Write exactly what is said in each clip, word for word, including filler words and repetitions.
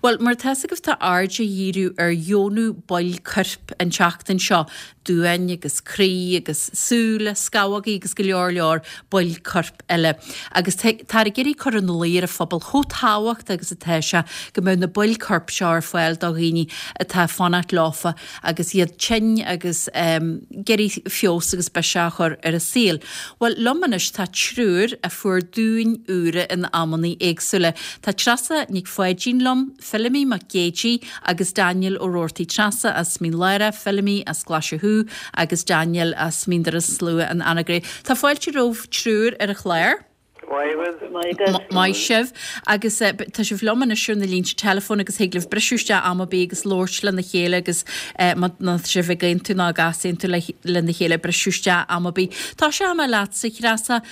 Bhuel, mar atá fhios agaibh tá aird á dhíriú ar dheonú baill coirp an tseachtain seo, duáin agus croí agus súile, scamhógaí agus go leor leor baill coirp eile. Agus táthar ag iarraidh cur ina luí ar an phobal chomh tábhachtach agus atá sé go mbeadh na baill coirp seo ar fáil do dhaoine atá ag fanacht leofa agus iad tinn agus ag iarraidh feabhas agus biseach a chur ar a saol. Bhuel, liom anois tá triúr a fuair duáin úra in amanna éagsúla. Tá Treasa Nic Pháidín liom, Feilimí Mac Géidigh agus Daniel Ó Roarty. Treasa as Mín Lárach, Feilimí as Glaise Chú agus Daniel as Mín Doire an Slua in Anagaire. Tá fáilte romhaibh triúr ar an chlár. Maith sibh agus tá sibh liom anois ar na línte teileafóin agus thig libh briseadh isteach am ar bith agus labhairt lena chéile agus má tá sibh ag aontú nó ag easaontú lena chéile briseadh isteach am ar bith. Tosóidh mé leatsa, a Threasa.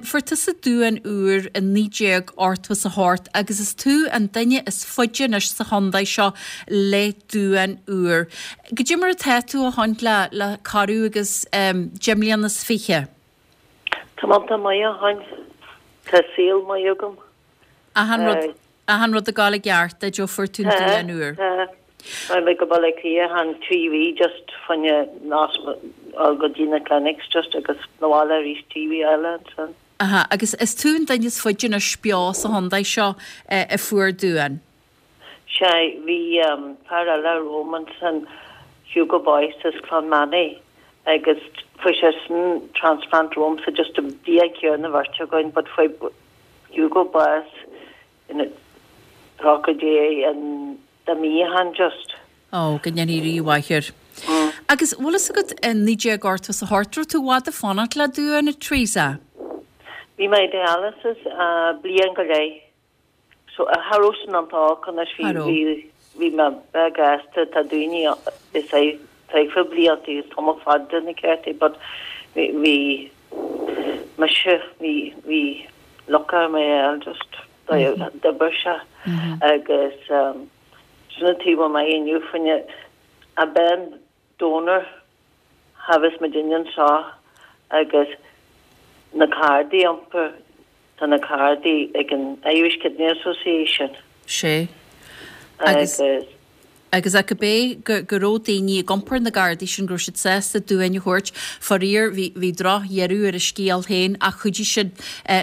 Fuair tusa duán úr i naoi déag ochtó is a hocht agus is tú an duine is faide anois sa chontae seo le duán úr. Goidé mar atá tú ó shoin le le corradh agus deich mbliana is fiche? Tá mé iontach maith ó shoin. Tá saol maith agam. Achan rud, achan rud ag gabháil i gceart duit ó fuair tú an duán úr. Tá, tá. Raibh mé go Baile Átha Cliath an trí mhí just fá choinne go dtí na clinics just agus na bhaile arís trí mhí eile ansin. Aha, agus is tú an duine is faide anois beo sa chontae seo a fuair duán. Sea, bhí fear eile romham ansin, Hugo Boyce as Clonmany, agus fuair seisean transplant romhamsa just an bhliain chéanna an bheirt againn but fuair Hugo bás ina tríochaidí an dá mí ó shin just. Ó, go ndéanaí Rí mhaith air. Agus bhfuil fhios agat i naoi déag ochtó is a hocht, raibh tú i bhfad ag fanacht le duán, a Teresa? Bhí mé i dialysis bliain go leith. So cha raibh sin iontach olc anois bhí bhí bhí mé beag aosta tá daoine is é tríocha blianta is tamall fada na ceartaí but bhí bhí mise bhí bhí lúcháir orm é a fháil just d'oibir sé agus sin an taobh a mbeidh inniu fá choinne a ben donor cha bheas muidinne anseo agus na cárdaí iompair tá na cárdaí ag an Irish Kidney Association. Sé. Agus agus a cibé go go raibh daoine ag iompar na gcárdaí sin go raibh siad sásta duáin a thabhairt, faraor bhí bhí drochdheireadh ar a scéal féin ach chuidigh siad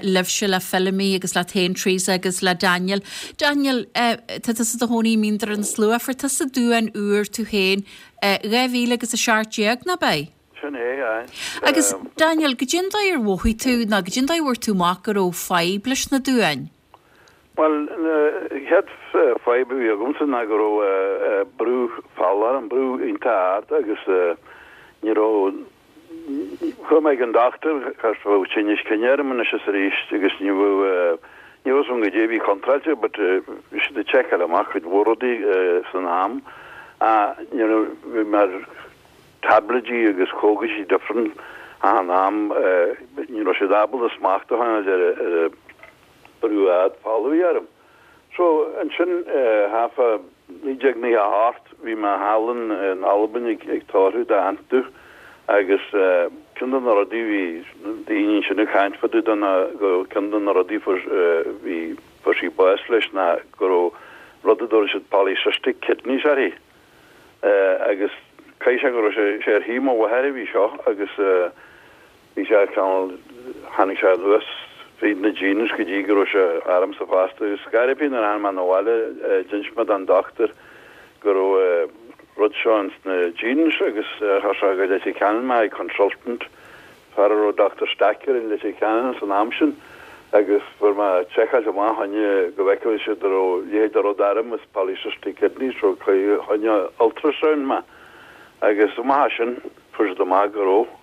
libhse le Feilimí agus leat féin Teresa agus le Daniel. Daniel, tá tusa i do chónaí i Mín Doire na Slua, fuair tusa duán úr tú féin dhá mhíle agus a seacht déag, ná beidh? Sin é, aye. Agus Daniel, goidé an dóigh ar mhothaigh tú nó goidé an dóigh a bhfuair tú amach go raibh fadhb leis na duáin? Bhuel, an chéad fadhb a bhí agamsa ná go raibh brú fola orm, brú iontach ard agus ní raibh, chuaigh mé ag an dochtúir, cos bheadh tinneas cinn orm anois is arís agus ní bheadh, ní raibh a fhios agam goidé a bhí contráilte but bhí siad ag seiceáil amach cuid mhór rudaí san am ach ní raibh, bhí mé ar tablaidí agus cógaisí different achan am, ní raibh siad ábalta smacht a choinneáil ar an brú ard fola a bhí orm. So ansin thart fá naoi déag naocha a hocht bhí mé thall in Albain ag ag tórramh d'aint domh agus ceann de na rudaí bhí daoine ansin ag caint fá dtaobh de ná go ceann de na rudaí fuair bhí fuair sí bás leis ná go raibh rud a dtabharfaidh siad polycystic kidneys uirthi. Agus caithfidh sé go raibh sé sé ar thaobh mo mháthar a bhí seo agus bhí sé cineál tháinig sé anuas fríd na genes go dtí go raibh sé ormsa fosta agus scor ar bith nuair a tháinig mé 'na bhaile d'inis mé don dochtúir go raibh rud seo ins na genes agus chuir sé go Leitir Ceanainn mé ag consultant fear a raibh Dochtúir Stacker in Leitir Ceanainn san am sin agus fuair mé seiceáilt amach fá choinne go bhfeicfeadh siad an raibh a leithéid de rud orm is polycystic kidneys so fá choinne ultrasound mé agus amach as sin fuair siad amach go raibh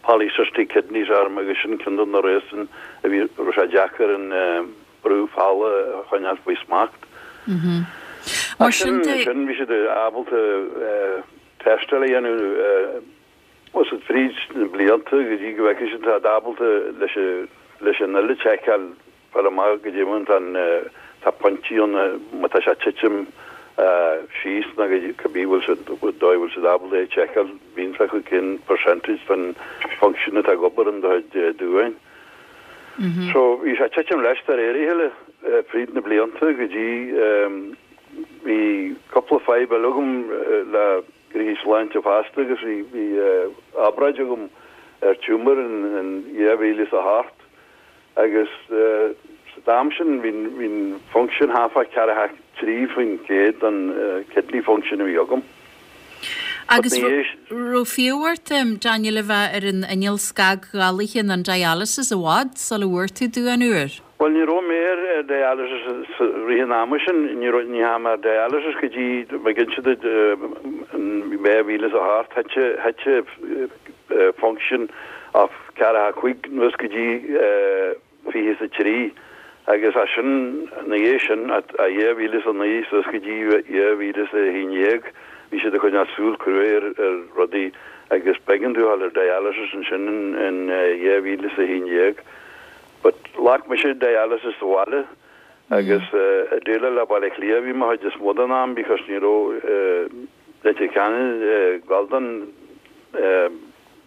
polycystic kidneys orm agus sin ceann de na reasons a bhí raibh sé deacair an brú fola a choinneáil faoi smacht. Mar sin de. Sin bhí siad ábalta tástáil a dhéanamh Is fríd na blianta go dtí go bhfeicfidh siad tá ábalta leis leis an uile tseiceáil fáil amach goidé mar tá an tá pointí ann má tá sé ag titim síos nó go cibé bhfuil siad dóigh bhfuil siad ábalta é a tseiceáil bíonn sé acu cén percentage den function atá ag obair in do chuid duáin. So bhí sé ag titim leis de réir a chéile fríd na blianta go dtí fadhb eile agam le gnoithí sláinte fosta agus bhí bhí obráid agam ar tumour in in dhá mhíle is a hocht agus sa t-am sin bhí bhí an function half a ceathracha trí faoin gcéad den kidney function a bhí agam. Agus raibh fiú ort, Daniel, a bheith ar an inneall scagdhálaithe an dialysis i bhfad sula bhfuair tú duán úr? Bhuel, ní raibh mé ar dialysis i rith an ama sin, ní raibh, ní raibh mé ar dialysis go dtí, mé cinnte duit, in dhá mhíle is a hocht, thit, thit function of ceathracha cúig anuas go dtí fiche is a trí agus as sin, ina dhiaidh sin, a dhá mhíle is a naoi suas go dtí dhá mhíle is a haon déag, bhí siad ag coinneáil súil cruaidh ar ar rudaí agus b'éigean domh a dhul ar dialysis ansin in dhá mhíle is a haon déag. But ghlac mise dialysis sa bhaile agus ag déileáil le Baile Átha Cliath a bhí mé chuid is mó den am because ní raibh Leitir Ceanainn ag gabháil don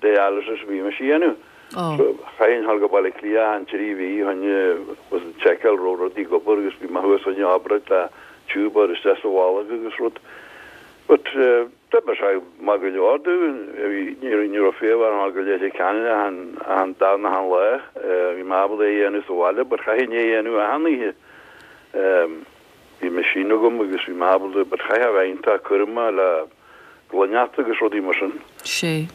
dialysis a bhí mise a dhéanamh. So chaithfinn dhul go Baile Átha Cliath achan trí mhí chun was seiceáil raibh rudaí ag obair agus bhí mé thuas chun obráid le tiúb a chur isteach sa bholg agus rud. But d'oibrigh sé maith go leor domh. Ní ní raibh fiú orm dhul go Leitir Ceanainn achan achan darna achan lá. Bhí mé ábalta é a dhéanamh sa bhaile but chaithfinn é a dhéanamh achan oíche. Bhí machine agam agus bhí mé ábalta but chaithfeá a bheith iontach cúramach le gloineacht agus rudaí mar sin. Sé.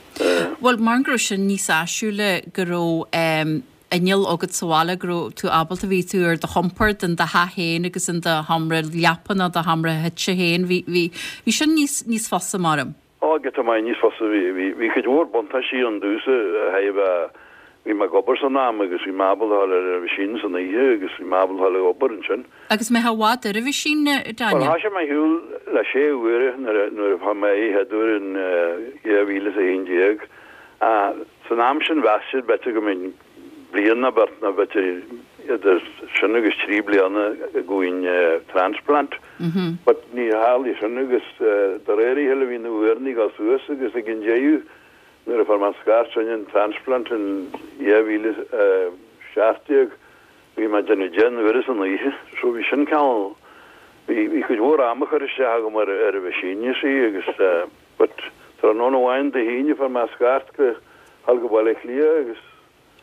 Bhuel, mar go raibh sin níos áisiúla go raibh inneall agat sa bhaile, go raibh tú ábalta, bhí tú ar do chompord in do theach féin agus in do sheomra leapa nó do sheomra suite féin, bhí, bhí, bhí sin níos, níos fusa maram. Ó, giota maith níos fusa. Bhí, bhí, bhí cuid mhór buntáistí ann domhsa a thaobh Bhí mé ag obair san am agus bhí mé ábalta a dhul ar an machine san oíche agus bhí mé ábalta a dhul ag obair ansin. Agus an mbeifeá i bhfad ar an machine, Daniel? Bhuel, thoisigh mé ar shiúl le sé huaire nuair a nuair a fuair mé é chéad uair in dhá mhíle is a haon déag. San am sin mheas siad b'fhéidir go mbeinn bliain nó beirt nó b'fhéidir idir sin agus trí bliana go bhfaighinn transplant. But ní tharlaigh sin agus de réir a chéile bhí na huaireanna ag dul suas agus ag an deireadh Nuair a fuair mé an scairt sin, an transplant in dhá mhíle a seacht déag, bhí mé ag déanamh deich n-uaire san oíche, so bhí sin cineál, bhí, bhí cuid mhór ama curtha isteach agam ar, ar an machine, you see, agus eh, but tráthnóna amháin Dé hAoine fuair mé scairt go dhul go Baile Átha Cliath agus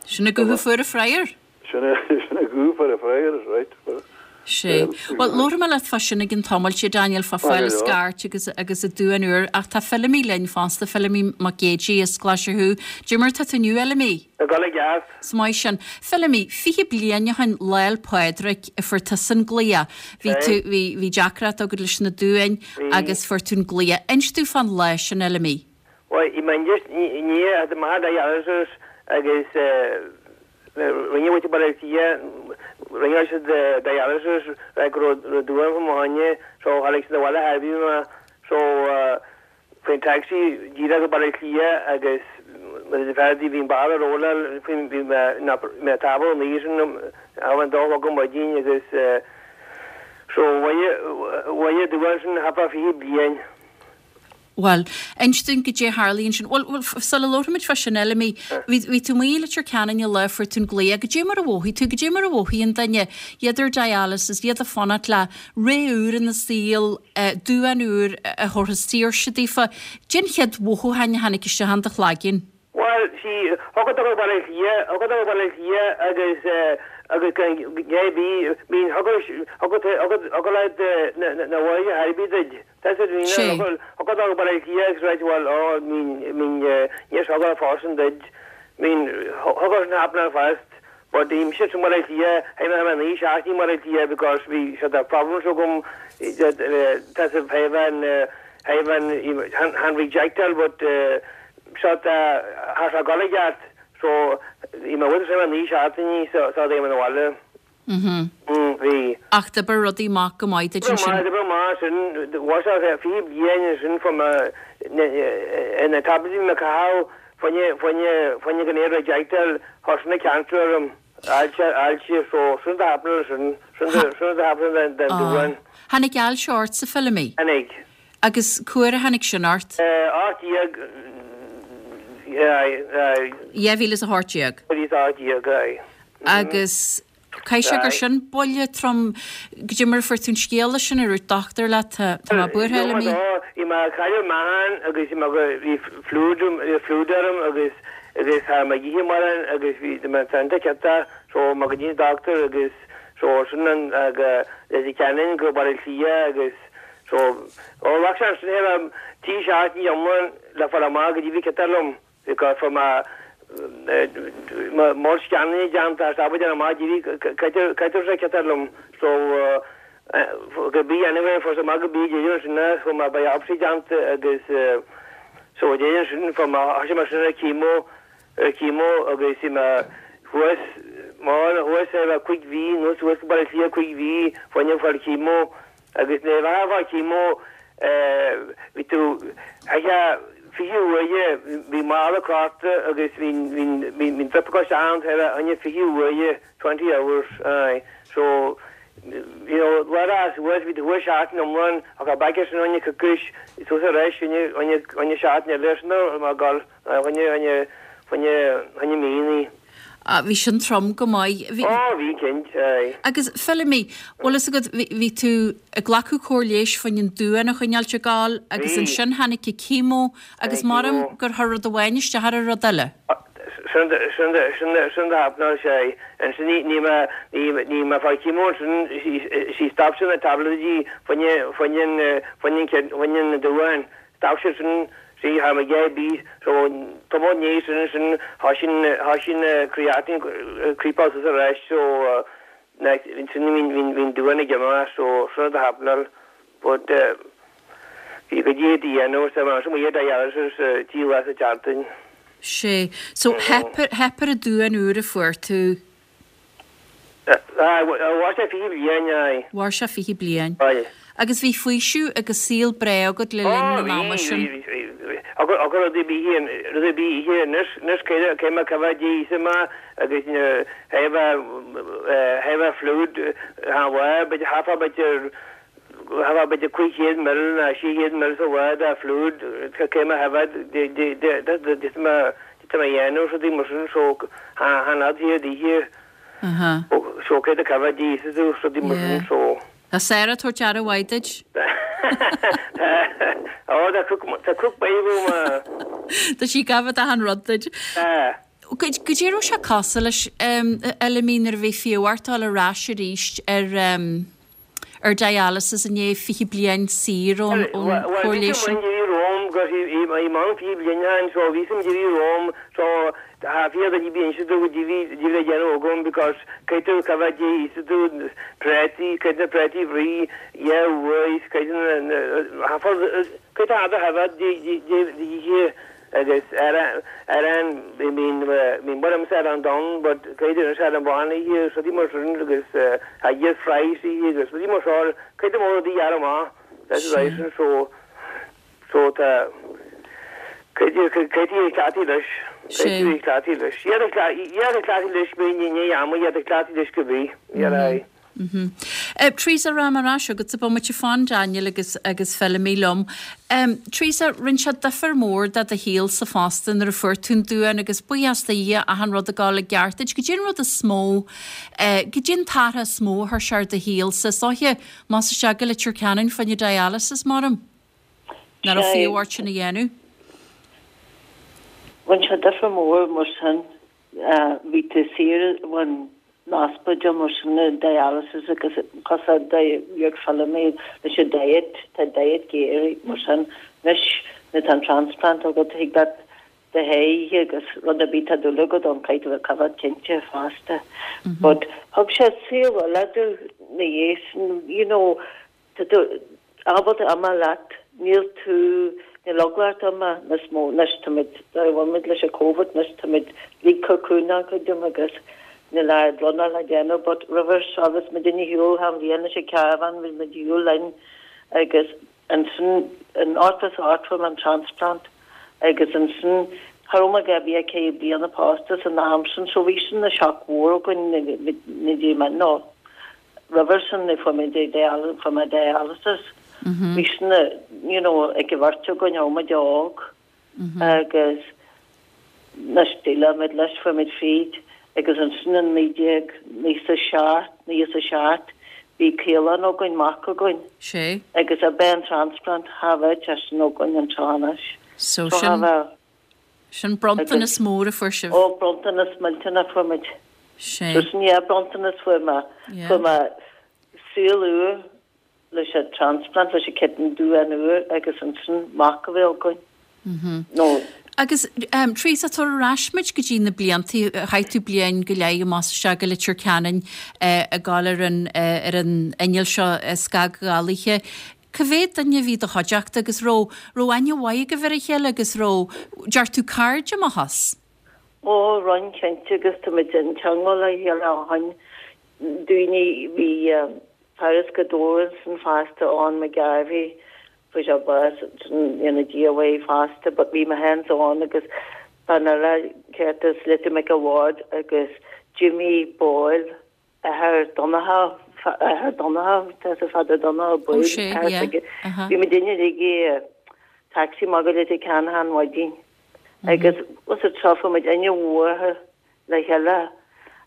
Sin an guth a fuair an fryer? Sin é, sin an guth a fuair an fryer, right. Sea. Bhuel, labharfaidh mé leat fá sin i gcionn tamaill, a Daniel, fá fáil an scairt agus agus an duán úr, ach tá Feilimí linn fosta, Feilimí Mac Géidigh as Glaise Chú. Cad é mar tá tú inniu, a Fheilimí? Ag dul i gceart. Is maith sin. Feilimí, fiche bliain ó shin, Lá 'le Pádraig, a fuair tusa an glaoch. Bhí tú, bhí, bhí deacracht agat leis na duáin agus fuair tú an glaoch. Inis domh fán lá sin, a Fheilimí. Bhuel, i mBeidh i ndiaidh a mbeatha dialysis agus rinne muid Baile Átha Cliath, rinne siad dialysis go raibh duán fá mo choinne so tháinig siad abhaile thairbhí mé so faoin taxi díreach go Baile Átha Cliath agus mar is fearr bhí an ball ar rolláil faoin bhí mé mé tábla an oíche sin am an dá chlog ar maidin agus so bhaile duán sin thapa fiche bliain. Bhuel, inis dúinn goidé a tharlaigh ansin. Bhuel, bhuel, sula labhraímid fá sin, a Fheilimí, bhí, bhí tú amuigh i Leitir Ceanainn an lá a fuair tú an glaoch. Goidé mar a mhothaigh tú, goidé mar a mhothaíonn duine, iad ar dialysis, iad ag fanacht le ré úr ina saol, duán úr a thabharfas saoirse daofa. Goidé an chéad mhothúchán a tháinig isteach in do chloigeann? Bhuel, sí, thiocfadh dó go Baile Átha Cliath, thiocfadh dó go Baile Átha Cliath agus, agus gan gné bí, bíonn, thiocfadh, thiocfadh, thiocfadh, thiocfadh leat na, na, na bháid a thairbhí duit. Tá siad, bhí, Sé. thiocfadh, thiocfadh dó go Baile Átha Cliath agus ráit, bhuel, ó, mín, mín, níor thiocfadh fós duit, mín, thiocfadh sin happening fast. But bhí mise sa mBaile Átha Cliath, théadh mé thar naoi seachtainí i mBaile Átha Cliath because bhí siad a problems agam, tá sa thaobh an, thaobh an, chan rejectáil but siad thar sa gcoill i gceart so bhí mé bhfuil sé naoi seachtainí so so théadh mé 'na bhaile. Mhm. Mm, bhí. Ach d'oibir rudaí amach go maith duit D'oibrigh ansin. maith, d'oibrigh maith sin, bhuel sé fiche bliain ansin fá ma, na, na tablets a bhí mé a chaitheamh fá choinne, fá choinne, fá choinne gan é a rejectáil, chuir sin an cancer orm, ailse, ailse, so sin do happening sin, sin do, sin do happening den, den Ah. duán. Tháinig ailse ort, a Fheilimí? Tháinig. Agus cá huair a tháinig sin ort? Ocht déag, aye, aye. Dhá mhíle is a hocht déag. Dhá mhíle is a hocht déag, aye. Agus Caithfidh sé gur sin buille trom goidé mar a fuair tú an scéala sin an ndúirt dochtúir leat tá tá mé buartha Fheilimí. Bhí mé ag cailleadh meáchain agus bhí mé go bhí fluid bhí fluid orm agus agus cha raibh mé ag ithe mórán agus bhí mé tanta ciontach so mé go dtí an dochtúir agus so sin an go Leitir Ceanainn go Baile Átha Cliath agus so ó ghlac sé ansin é raibh trí seachtaine iomlán le fáil amach goidé bhí ciontach liom because fuair mé moll scannaí déanta tá bud amach goidé sé ciontach liom so go bí anyway fuair sé amach go bí deireadh sin fuair mé biopsy déanta agus so deireadh sin fuair mé thosaigh mé sin ar chemo ar chemo agus bhí mé thuas mar thuas ar feadh cúig mhí nó suas go Baile Átha Cliath cúig mhí fá choinne fáil chemo agus nuair a bheifeá chemo bhí tú fiche uaire bhí mála crochta agus bhí bhí bhí drip ag isteach ann ar choinne fiche uaire twenty hours aye so you know lá as thuas bhí tú thuas seachtain iomlán ach a b'aice sin choinne coicís suas ar ais choinne choinne choinne seachtain eile sin mar gol choinne choinne choinne choinne míní. Ah, bhí sin trom go maith. Bhí Ó bhí cinnte aye. Agus Feilimí, bhfuil fhios agat bhí bhí tú ag glacadh cóir leighis fá choinne an duán a choinneáilt ag gabháil agus Bhí. ansin tháinig an chemo agus Tháinig maram chemo. gur chuir rud amháin isteach ar an rud eile. Sin sin sin sin happenáil sé ansin ní ní mé ní ní mé fá chemo sin sí stop sin na tabletí fá choinne fá choinne fá choinne fá choinne na duán stop sin sin sí ha me gé bí so tá ní sin sin ha sin ha sin creatinine creep out sa reis so sin bhí bhí bhí duán ag imeacht so sin the happenáil but bhí go dtí dhéanamh sa mar sin dialysis trí lá sa tseachtain. Sé. So theip theip ar an duán uair a fuair tú Mhair sé fiche bliain aye. Mhair sé fiche bliain. Aye. Agus bhí faoiseamh agus saol breá agat le linn an ama sin. Agus rud bí rud bí ihe nus nus cé ma cah dí ma agus heh heh fluid ha beidir hafa beidir hafa beidir cúig chéad ml na sé chéad ml sa bha a fluid cé ma heh ma ma dhéanamh rudaí mar sin so han hí dí Aha. so cé a cah dí rudaí mar sin so. Tá Sarah tabhairt aire mhaith duit? Ó tá tá cook baby ma. Tá sí gabh a han rud duit. Goidé raibh sé cosúil leis Fheilimí nuair a bhí fiú ort ar ais arís ar um, ar dialysis i ndiaidh fiche bliain saor ón chóir leighis sin. Rome gus i man fiche bliain so bhí sem dí Rome so ha fi da bí inse do dí dí le dhéanamh agam because caiú ca dí is tú prétaí cé na prétaí bhrí yeah cé cé a ha dí dí agus ar ar an mín mín mar am an don but cé an an bhána so dí mar sin agus ha dhé fries agus dí mar seo cé mó dí amá that's so so tá cé cláí leis cláí leis cláí leis bí ní ama cláí leis go bí é. Mm -hmm. Teresa rá mar ais agat sa bomaite fan Daniel agus agus Feilimí liom. Um, Teresa rinne sé difear mór do do shaol-sa fosta nuair a fuair tú an duán agus buíochas do Dhia achan rud ag gabháil i gceart. Goidé an rud is mó uh, goidé an t-athrú is mó a chuir sé ar do shaol-sa soiche más se go Leitir Ceanainn fá choinne dialysis maram? Ná a fiú sin a dhéanamh? Rinne sé difear mór mar sin bhí tú saor ón ospidéal mar sin dialysis agus cos dheag Feilimí leis an diet tá diet géir mar sin anois na tá transplant agat thuig dat de hé agus rud a bí tá dul go don caiit a cabh cinnte fosta. But thug sé saol le na dhéis you know ábalta ama leat níl tú ní logláart ama nas mó nes táimid leis an COVID nes táimid lí cocúna go dum agus ní le blonna le déanamh, but roimhe agus me duine hiúil ham bhíana sé caravan bhí me hiúil lein agus ansin an átas áit an transplant agus ansin Tharma go bhí cé bliana pósta san am sin so bhí sin na shock mhór go na dí man no. Roimhe sin na fu mé dialysis. Bhí sin you know ag bhart go ma deog agus na stille met leis fu met feed Agus ansin in naoi déag naocha seacht, naocha a seacht, bhí Caolán againn, mac againn. Sé. Agus ab é an transplant, cha bheadh sé sin againn anseo anois. So sin, sin bronntanas mór a fuair sibh. Ó, bronntanas millteanach fuair muid. Sé. So sin, yeah, bronntanas fuair mé, fuair mé saol úr leis an transplant, leis an kidney duán úr agus ansin mac a bheith againn. No. Agus Teresa, tabhair ar ais muid go dtí na blianta, chaith tú bliain go leith amach is isteach i Leitir Ceanainn ag gabháil ar an ar an inneall seo scagdhálaithe. Cá mhéad duine a bhí i do chuideachta agus raibh raibh aithne mhaith agaibh ar a chéile agus raibh, deir tú cairde amach as? Ó, rinne cinnte agus táimid i dteangmháil le chéile ó shin. Daoine, bhí fear as Gaoth Dobhair ansin fosta, Eoin McGarvey, fuair sé bás ina diaidh uaidh fosta but bhí mé féin ann agus bean eile ceart as Leitir Mhic a' Bhaird agus Jimmy Boyle, athair Donncha, athair Donncha, tá sa Father Donncha Ó Boyle, sé, athair yeah, s'aige. aha. Bhí muid uilig i taxi amach go Leitir Ceanainn achan mhaidin agus was it seo fuair muid aithne mhór le chéile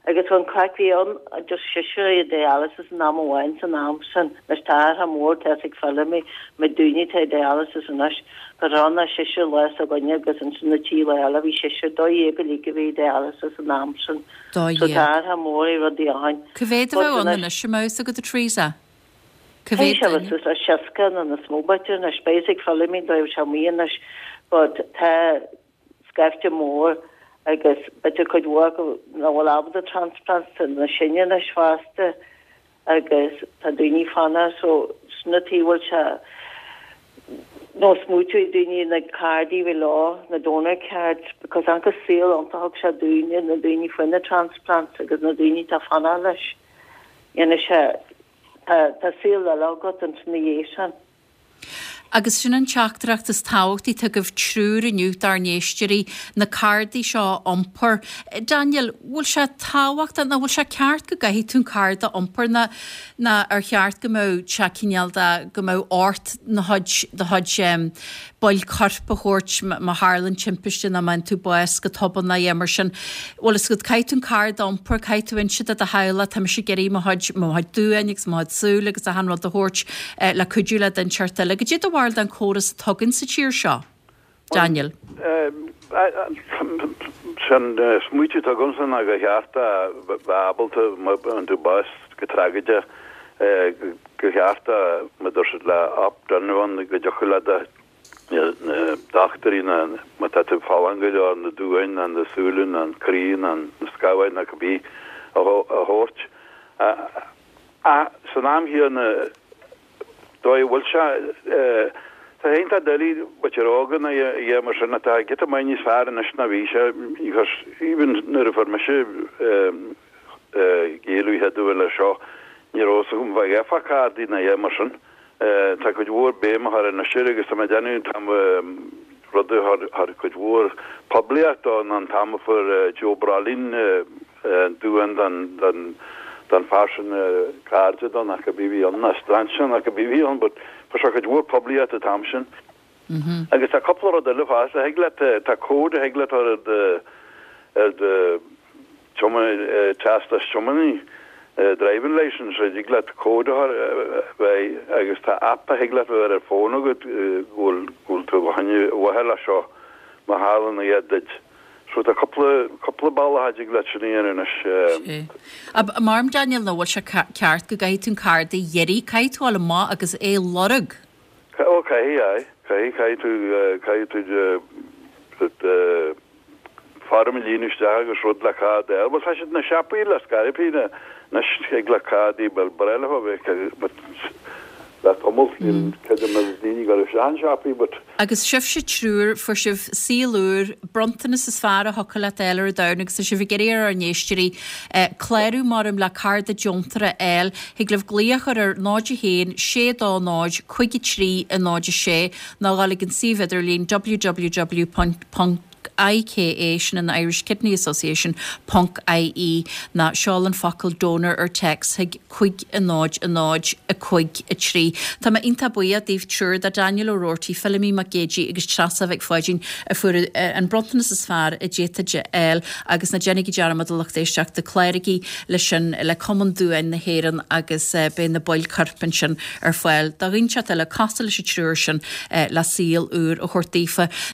agus an craic bhí ann just seisear i dialysis in am amháin san am sin anois tá athrú mór tá ag Feilimí na daoine atá i dialysis anois go raibh na seisear lá s'againne agus ansin na trí lá eile bhí seisear dó dhéag uilig a bhí i dialysis an am sin Dó so dhéag. tá athrú mór i rudaí ó shin. Cá mhéad a But bheadh ann anois anois an mbeadh fhios agat a Teresa? Cá Tá mhéad sé duine? suas le seasca nó níos mó b'fhéidir anois beidh ag Feilimí dóibh sé mí anois but tá scaifte mór agus b'fhéidir cuid mhór acu nach bhfuil ábalta transplants tá na sine anois fosta agus tá daoine fanacht so sna tí bhfuil sé nó smaoitiú daoine na cárdaí bhí leo na donor cards because an saol iontach thug sé daoine na daoine faoi na transplants agus na daoine tá fanacht leis dhéanamh sé tá tá saol eile agat ansin ina dhiaidh sin. Agus sin an teachtaireacht is tábhachtaí atá agaibh triúr inniu dár n-éisteoirí, na cárdaí seo a iompar. Daniel, bhfuil sé tábhachtach nó bhfuil sé ceart go gcaithfidh tú an cárda a iompar nó nó ar cheart go mbeadh sé cineál de go mbeadh ort na chuid do chuid baill coirp a thabhairt má tharlaíonn timpiste nó má fhaigheann tú bás go tobann nó mar sin. Bhfuil fhios agat caithfidh tú an cárda a iompar, caithfidh tú inse do do theaghlach, tá mise ag iarraidh mo chuid mo chuid duáin agus mo chuid súl agus achan rud a thabhairt le cuidiú le duine inteacht eile. Goidé do bharúil den córas atá againn sa tír seo? Daniel. Sin smaoitiú atá agamsa ná gur cheart a bheith ábalta má fhaigheann tú bás go tragóideach gur cheart mar a deir siad le opt-in go dtiocfadh le do na dochtúirí na má tá tú folláin go leor na duáin ná na súile ná an croí ná na scamhaigh ná cibé a thabhairt. Ach san am chéanna dóigh a bhfuil sé tá sé iontach doiligh b'fhéidir óga ná é mar sin atá giota maith níos fearr anois ná bhí sé because even nuair a fuair mise géilleadh chéaduair leis seo ní raibh fhios agam bheith gheofá cárdaí ná é mar sin. Tá cuid mhór béim á chur anois air agus tá mé ag déanamh an t-am rud a chuir cuid mhór poiblíocht dó ná an t-am a fuair Joe Brolin duán den den den fear sin cairde dó nó cibé a bhí ann ná strainséir nó cibé a bhí ann but fuair sé cuid mhór poiblíocht an t-am sin. Agus tá cúpla rud eile fosta, thig leat tá cód a thig leat ar do ar do teastas tiománaí, driving licence, thig leat cód a chur bheith agus tá app a thig leat a bheith ar fón agat go bhfuil go bhfuil tú fá choinne mhaithe leis seo má tharlaíonn a dhath duit. So tá cúpla cúpla bealach a dtig leat sin a dhéanamh anois. Sé. Mar Daniel nó bhfuil sé ceart go gcaithfidh tú an cárda a iarraidh, caithfidh tú dul amach agus é a lorg? Ó caithfidh, aye. Caithfidh, caithfidh tú caithfidh tú foirm a líonadh isteach agus rud le cárda a fháil. Bhuel tá siad na siopaí le scaipthe anois ag le cárdaí bhuel ba bhreá leo a bheith but le tamall níl creidim na daoine go raibh isteach in siopaí but Agus sibhse triúr, fuair sibh saol úr, bronntanas is fearr a thiocfadh leat a fháil ar an domhan agus tá sibh ag iarraidh ar ár n-éisteoirí clárú maram le cárda deontóra a fháil. Thig libh glaoch a chur ar náid a haon, sé dó náid, cúig a trí, a náid a sé nó dhul ag an suíomh idirlín www ponc I K A, sin an Irish Kidney Association, ponc I E, ná seol an focal donor ar text chuig cúig a náid a náid a cúig a trí. Tá mé iontach buíoch daoibh triúr, do Daniel O'Rourke, Feilimí Mac Géidigh agus Treasa Mhic Pháidín a fuair an bronntanas is fearr a d'fhéadfaí a fháil, agus ná déanaigí dearmad, a lucht éisteachta, cláraigí leis sin le Cumann Duáin na hÉireann agus beidh na baill coirp ansin ar fáil do dhaoine eile cosúil leis an triúr sin le saol úr a thabhairt daofa.